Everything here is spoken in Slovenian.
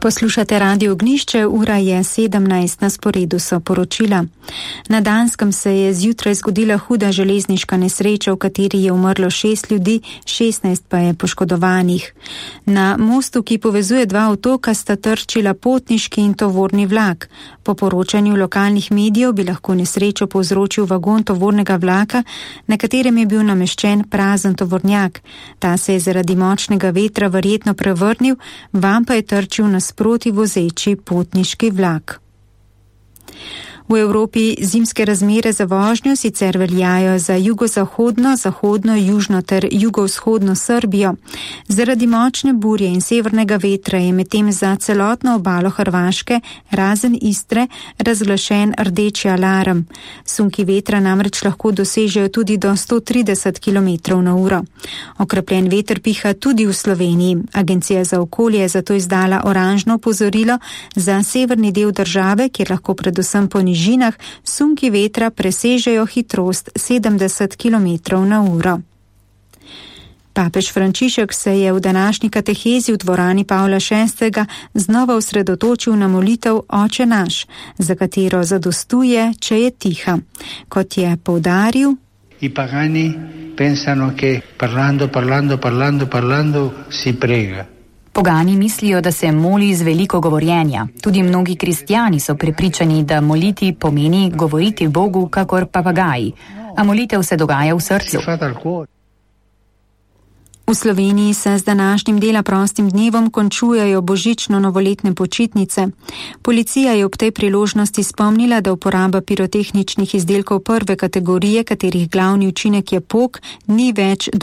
Poslušate Radio Ognjišče, ura je 17, na sporedu so poročila. Na Danskem se je zjutraj zgodila huda železniška nesreča, v kateri je umrlo 6 ljudi, 16 pa je poškodovanih. Na mostu, ki povezuje dva otoka, sta trčila potniški in tovorni vlak. Po poročanju lokalnih medijev bi lahko nesrečo povzročil vagon tovornega vlaka, na katerem je bil nameščen prazen tovornjak. Ta se je zaradi močnega vetra verjetno prevrnil, vam pa je trčil nasproti vozeči potniški vlak. V Evropi zimske razmere za vožnjo sicer veljajo za jugozahodno, zahodno, južno ter jugovzhodno Srbijo. Zaradi močne burje in severnega vetra je medtem za celotno obalo Hrvaške, razen Istre, razglašen rdeči alarm. Sunki vetra namreč lahko dosežejo tudi do 130 km/h. Okrepljen veter piha tudi v Sloveniji. Agencija za okolje je zato izdala oranžno opozorilo za severni del države, kjer lahko predvsem po nižinah sunki vetra presežejo hitrost 70 km/h. Papež Frančišek se je v današnji katehezi v dvorani Pavla VI. Znova osredotočil na molitev Oče naš, za katero zadostuje, če je tiha. Kot je poudaril, I pagani pensano che parlando si prega. Pogani mislijo, da se moli z veliko govorjenja. Tudi mnogi kristjani so prepričani, da moliti pomeni govoriti Bogu kakor papagaji, a molitev se dogaja v srcu. V Sloveniji se z današnjim dela prostim dnevom končujejo božično-novoletne počitnice. Policija je ob tej priložnosti spomnila, da uporaba pirotehničnih izdelkov prve kategorije, katerih glavni učinek je pok, ni več dovoljena.